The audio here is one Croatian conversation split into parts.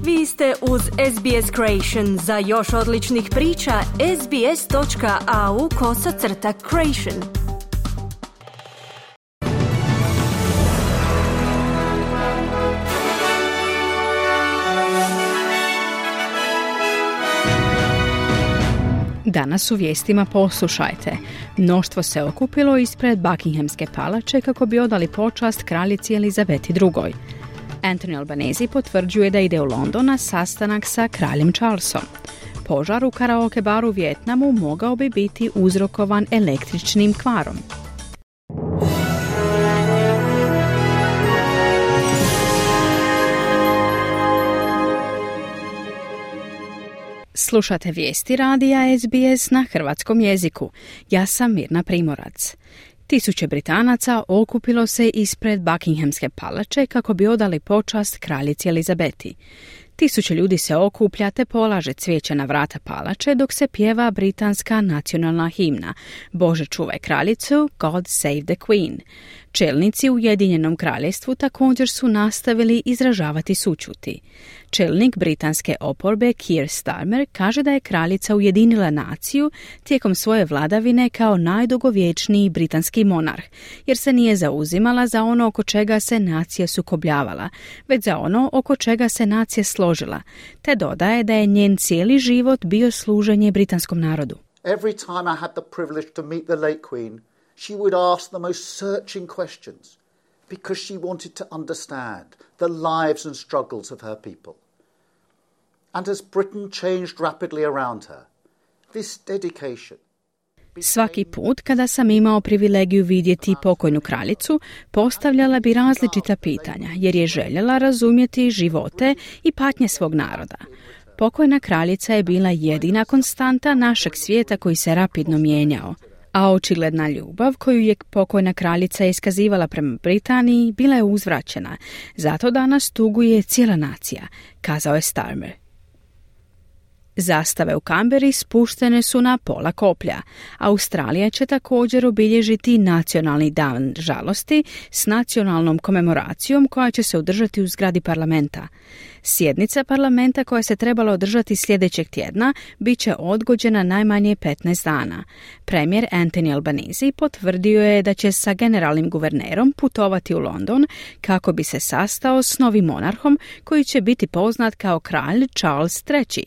Vi ste uz SBS Creation. Za još odličnih priča, sbs.au/creation. Danas u vijestima poslušajte. Mnoštvo se okupilo ispred Buckinghamske palače kako bi odali počast kraljici Elizabeti II. Anthony Albanese potvrđuje da ide u London na sastanak sa kraljem Charlesom. Požar u karaoke baru u Vijetnamu mogao bi biti uzrokovan električnim kvarom. Slušate vijesti radija SBS na hrvatskom jeziku. Ja sam Mirna Primorac. Tisuće Britanaca okupilo se ispred Buckinghamske palače kako bi odali počast kraljici Elizabeti. Tisuće ljudi se okuplja te polaže cvijeće na vrata palače dok se pjeva britanska nacionalna himna Bože čuvaj kraljicu, God save the Queen. Čelnici u Ujedinjenom kraljevstvu također su nastavili izražavati sućuti. Čelnik britanske oporbe Keir Starmer kaže da je kraljica ujedinila naciju tijekom svoje vladavine kao najdugovječniji britanski monarh, jer se nije zauzimala za ono oko čega se nacija sukobljavala, već za ono oko čega se nacija složila, te dodaje da je njen cijeli život bio služenje britanskom narodu. Every time I had the privilege to meet the late Queen, she would ask the most searching questions because she wanted to understand the lives and struggles of her people. And as Britain changed rapidly around her, this dedication. Svaki put kada sam imao privilegiju vidjeti pokojnu kraljicu, postavljala bi različita pitanja jer je željela razumjeti živote i patnje svog naroda. Pokojna kraljica je bila jedina konstanta našeg svijeta koji se rapidno mijenjao. A očigledna ljubav koju je pokojna kraljica iskazivala prema Britaniji bila je uzvraćena. Zato danas tuguje cijela nacija, kazao je Starmer. Zastave u Kamberi spuštene su na pola koplja. Australija će također obilježiti nacionalni dan žalosti s nacionalnom komemoracijom koja će se održati u zgradi parlamenta. Sjednica parlamenta koja se trebala održati sljedećeg tjedna bit će odgođena najmanje 15 dana. Premijer Anthony Albanese potvrdio je da će sa generalnim guvernerom putovati u London kako bi se sastao s novim monarhom koji će biti poznat kao kralj Charles III.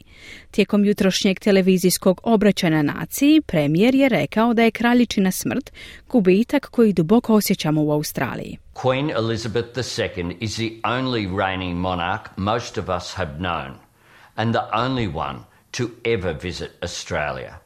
Tijekom jutrošnjeg televizijskog obraćanja naciji, premijer je rekao da je kraljičina smrt gubitak koji duboko osjećamo u Australiji. Queen Elizabeth II is the only reigning monarch most of us have known and the only one to ever visit Australia.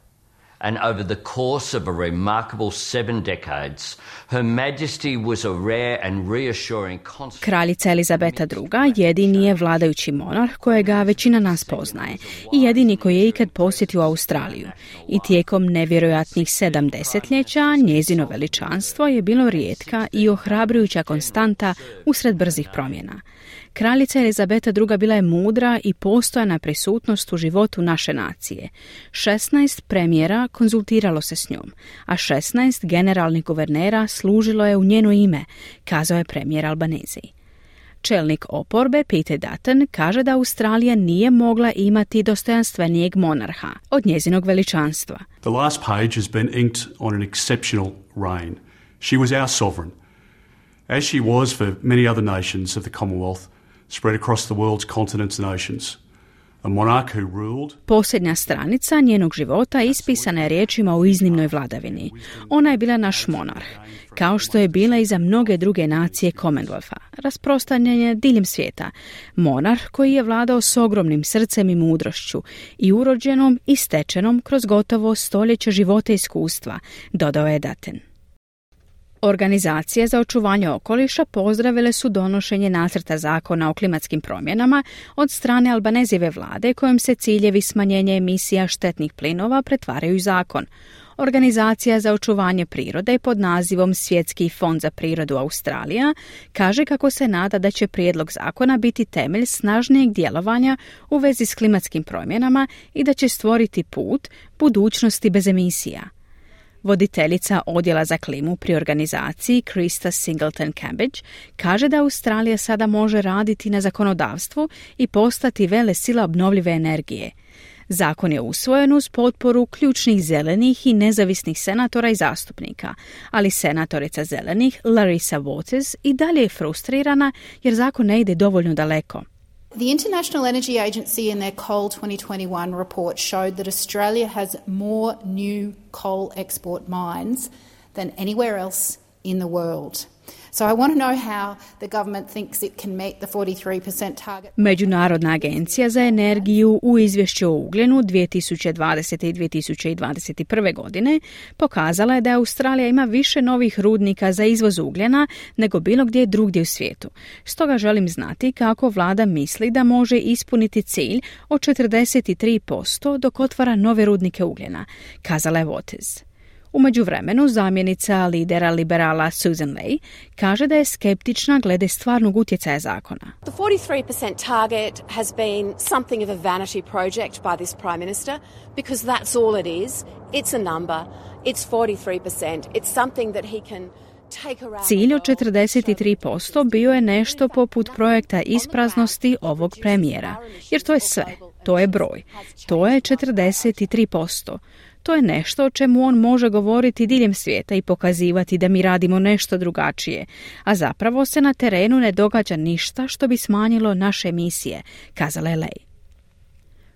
And over the course of a remarkable 7 decades, Her Majesty was a rare and reassuring constant. Kraljica Elizabeta II jedini je vladajući monarh kojega većina nas poznaje i jedini koji je ikad posjetio Australiju. I tijekom nevjerojatnih 7 desetljeća njezino veličanstvo je bilo rijetka i ohrabrujuća konstanta usred brzih promjena. Kraljica Elizabeta II bila je mudra i postojana prisutnost u životu naše nacije. 16 premijera konzultiralo se s njom, a 16 generalnih guvernera služilo je u njeno ime, kazao je premijer Albanese. Čelnik oporbe Peter Dutton kaže da Australija nije mogla imati dostojanstvenijeg monarha od njezinog veličanstva. The last page has been inked on an exceptional reign. She was our sovereign, as she was for many other nations of the Commonwealth, spread across the world's continents and oceans. A monarch who ruled. Posljednja stranica njenog života ispisana je riječima o iznimnoj vladavini. Ona je bila naš monarh, kao što je bila i za mnoge druge nacije Commonwealtha, rasprostranjen je diljem svijeta. Monarh koji je vladao s ogromnim srcem i mudrošću i urođenom i stečenom kroz gotovo stoljeće života i iskustva, dodao je Dutton. Organizacije za očuvanje okoliša pozdravile su donošenje nacrta zakona o klimatskim promjenama od strane Albanezijeve vlade kojim se ciljevi smanjenja emisija štetnih plinova pretvaraju u zakon. Organizacija za očuvanje prirode pod nazivom Svjetski fond za prirodu Australija kaže kako se nada da će prijedlog zakona biti temelj snažnijeg djelovanja u vezi s klimatskim promjenama i da će stvoriti put budućnosti bez emisija. Voditeljica odjela za klimu pri organizaciji Krista Singleton Cambridge kaže da Australija sada može raditi na zakonodavstvu i postati velesila obnovljive energije. Zakon je usvojen uz potporu ključnih zelenih i nezavisnih senatora i zastupnika, ali senatorica zelenih Larissa Waters i dalje je frustrirana jer zakon ne ide dovoljno daleko. The International Energy Agency in their Coal 2021 report showed that Australia has more new coal export mines than anywhere else in the world. So I want to know how the government thinks it can meet the 43% target. Međunarodna agencija za energiju u izvješću o ugljenu 2020. i 2021. godine pokazala je da Australija ima više novih rudnika za izvoz ugljena nego bilo gdje drugdje u svijetu. Stoga želim znati kako vlada misli da može ispuniti cilj od 43% dok otvara nove rudnike ugljena, kazala je Waters. U međuvremenu zamjenica lidera liberala Susan Ley kaže da je skeptična glede stvarnog utjecaja zakona. The 43% target has been something of a vanity project by this Prime Minister because that's all it is. It's a number. It's 43%. It's something that he can take around. Cilj od 43% bio je nešto poput projekta ispraznosti ovog premijera, jer to je sve. To je broj. To je 43%. To je nešto o čemu on može govoriti diljem svijeta i pokazivati da mi radimo nešto drugačije, a zapravo se na terenu ne događa ništa što bi smanjilo naše emisije, kazala je Ley.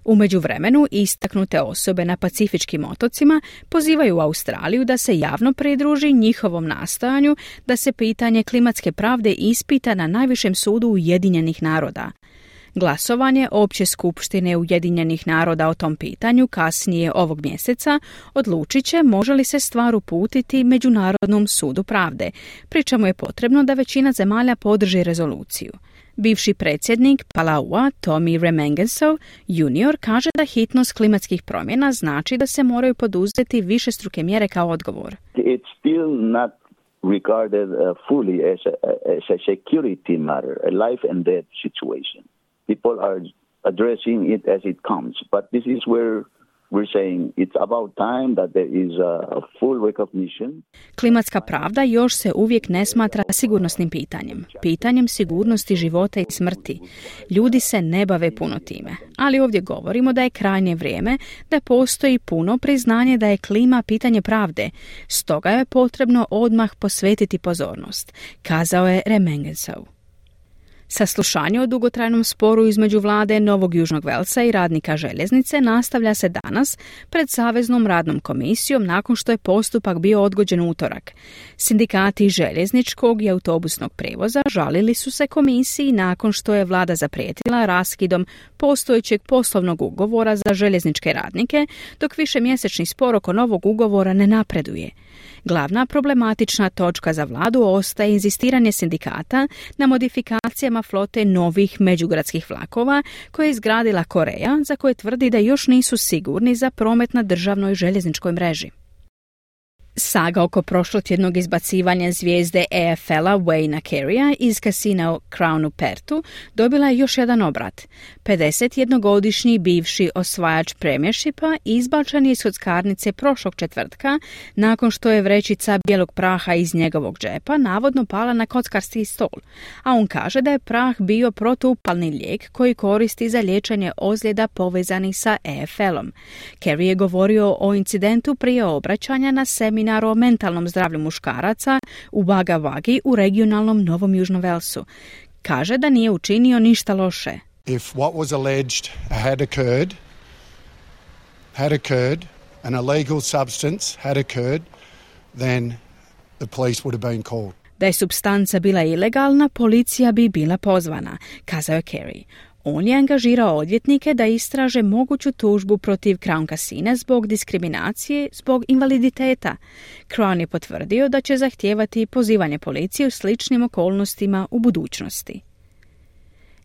U međuvremenu istaknute osobe na Pacifičkim otocima pozivaju Australiju da se javno pridruži njihovom nastojanju da se pitanje klimatske pravde ispita na najvišem sudu Ujedinjenih naroda. Glasovanje Opće skupštine Ujedinjenih naroda o tom pitanju kasnije ovog mjeseca odlučit će može li se stvar uputiti Međunarodnom sudu pravde, pri čemu je potrebno da većina zemalja podrži rezoluciju. Bivši predsjednik Palaua, Tommy Remengesau junior, kaže da hitnost klimatskih promjena znači da se moraju poduzeti višestruke mjere kao odgovor. It's still not regarded fully as a security matter, a life and death situation. People are addressing it as it comes, but this is where we're saying it's about time that there is a full recognition. Klimatska pravda još se uvijek ne smatra sigurnosnim pitanjem, pitanjem sigurnosti života i smrti. Ljudi se ne bave puno time, ali ovdje govorimo da je krajnje vrijeme da postoji puno priznanje da je klima pitanje pravde, stoga je potrebno odmah posvetiti pozornost, kazao je Remengesau. Saslušanje o dugotrajnom sporu između vlade Novog Južnog Velsa i radnika željeznice nastavlja se danas pred Saveznom radnom komisijom nakon što je postupak bio odgođen u utorak. Sindikati željezničkog i autobusnog prijevoza žalili su se komisiji nakon što je vlada zaprijetila raskidom postojećeg poslovnog ugovora za željezničke radnike, dok višemjesečni spor oko novog ugovora ne napreduje. Glavna problematična točka za vladu ostaje inzistiranje sindikata na modifikacijama flote novih međugradskih vlakova koje je izgradila Koreja, za koje tvrdi da još nisu sigurni za promet na državnoj željezničkoj mreži. Saga oko prošlotjednog izbacivanja zvijezde AFL-a Wayna Careya iz kasina Crown u Perthu dobila je još jedan obrat. 51-godišnji bivši osvajač premiershipa izbačen je iz kockarnice prošlog četvrtka nakon što je vrećica bijelog praha iz njegovog džepa navodno pala na kockarski stol, a on kaže da je prah bio protuupalni lijek koji koristi za liječenje ozljeda povezanih sa AFL-om. Carey je govorio o incidentu prije obraćanja na seminaru o mentalnom zdravlju muškaraca u Wagga Waggi u regionalnom Novom Južnom Velsu. Kaže da nije učinio ništa loše. If what was alleged had occurred, an illegal substance had occurred, then the police would have been called. Da je supstanca bila ilegalna, policija bi bila pozvana, kazao je Carey. On je angažirao odvjetnike da istraže moguću tužbu protiv Crown Casina zbog diskriminacije zbog invaliditeta. Crown je potvrdio da će zahtijevati pozivanje policije u sličnim okolnostima u budućnosti.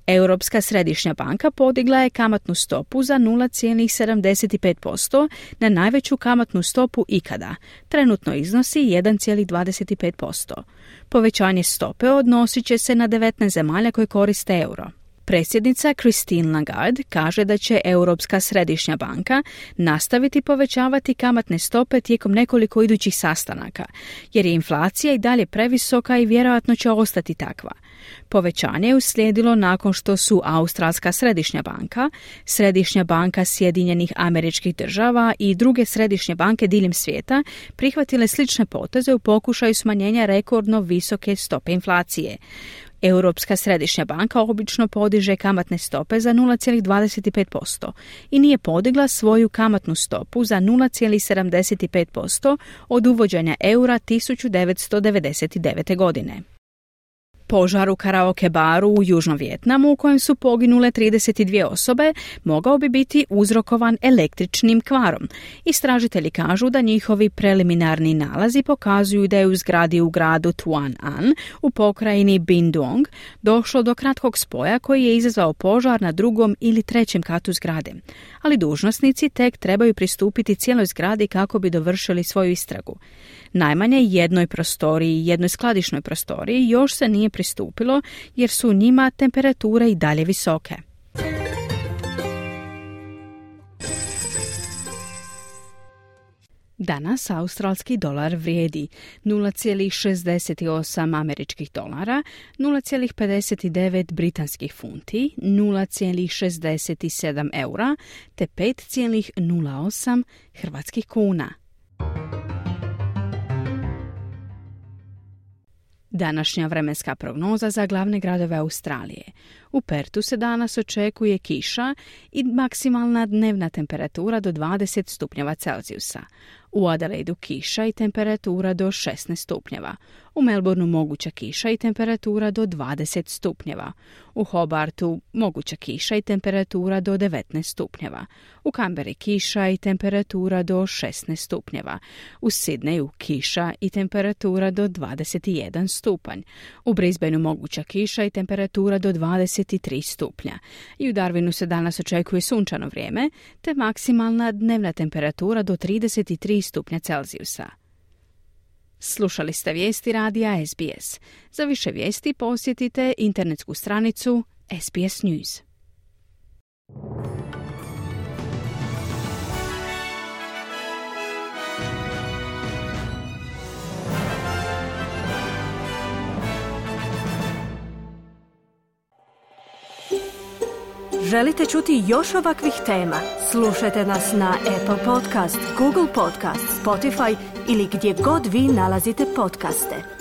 Europska središnja banka podigla je kamatnu stopu za 0,75% na najveću kamatnu stopu ikada. Trenutno iznosi 1,25%. Povećanje stope odnosit će se na 19 zemalja koje koriste euro. Predsjednica Christine Lagarde kaže da će Europska središnja banka nastaviti povećavati kamatne stope tijekom nekoliko idućih sastanaka, jer je inflacija i dalje previsoka i vjerojatno će ostati takva. Povećanje je uslijedilo nakon što su Australska središnja banka, Središnja banka Sjedinjenih Američkih Država i druge središnje banke diljem svijeta prihvatile slične poteze u pokušaju smanjenja rekordno visoke stope inflacije. Europska središnja banka obično podiže kamatne stope za 0,25% i nije podigla svoju kamatnu stopu za 0,75% od uvođenja eura 1999. godine. Požar u karaoke baru u Južnom Vijetnamu u kojem su poginule 32 osobe mogao bi biti uzrokovan električnim kvarom. Istražitelji kažu da njihovi preliminarni nalazi pokazuju da je u zgradi u gradu Tuan An u pokrajini Binh Duong došlo do kratkog spoja koji je izazvao požar na 2. ili 3. katu zgrade. Ali dužnosnici tek trebaju pristupiti cijeloj zgradi kako bi dovršili svoju istragu. Najmanje jednoj prostoriji i jednoj skladišnoj prostoriji još se nije pristupilo jer su u njima temperature i dalje visoke. Danas australski dolar vrijedi 0,68 američkih dolara, 0,59 britanskih funti, 0,67 eura te 5,08 hrvatskih kuna. Današnja vremenska prognoza za glavne gradove Australije. U Pertu se danas očekuje kiša i maksimalna dnevna temperatura do 20 stupnjeva Celzijusa. U Adelaidu kiša i temperatura do 16 stupnjeva. U Melbourneu moguća kiša i temperatura do 20 stupnjeva. U Hobartu moguća kiša i temperatura do 19 stupnjeva. U Canberri kiša i temperatura do 16 stupnjeva. U Sydneyu kiša i temperatura do 21 stupanj. U Brisbaneu moguća kiša i temperatura do 23 stupnja. I u Darwinu se danas očekuje sunčano vrijeme, te maksimalna dnevna temperatura do 33 stupnja Celzijusa. Slušali ste vijesti radija SBS. Za više vijesti posjetite internetsku stranicu SBS News. Želite čuti još ovakvih tema? Slušajte nas na Apple Podcast, Google Podcast, Spotify ili gdje god vi nalazite podcaste.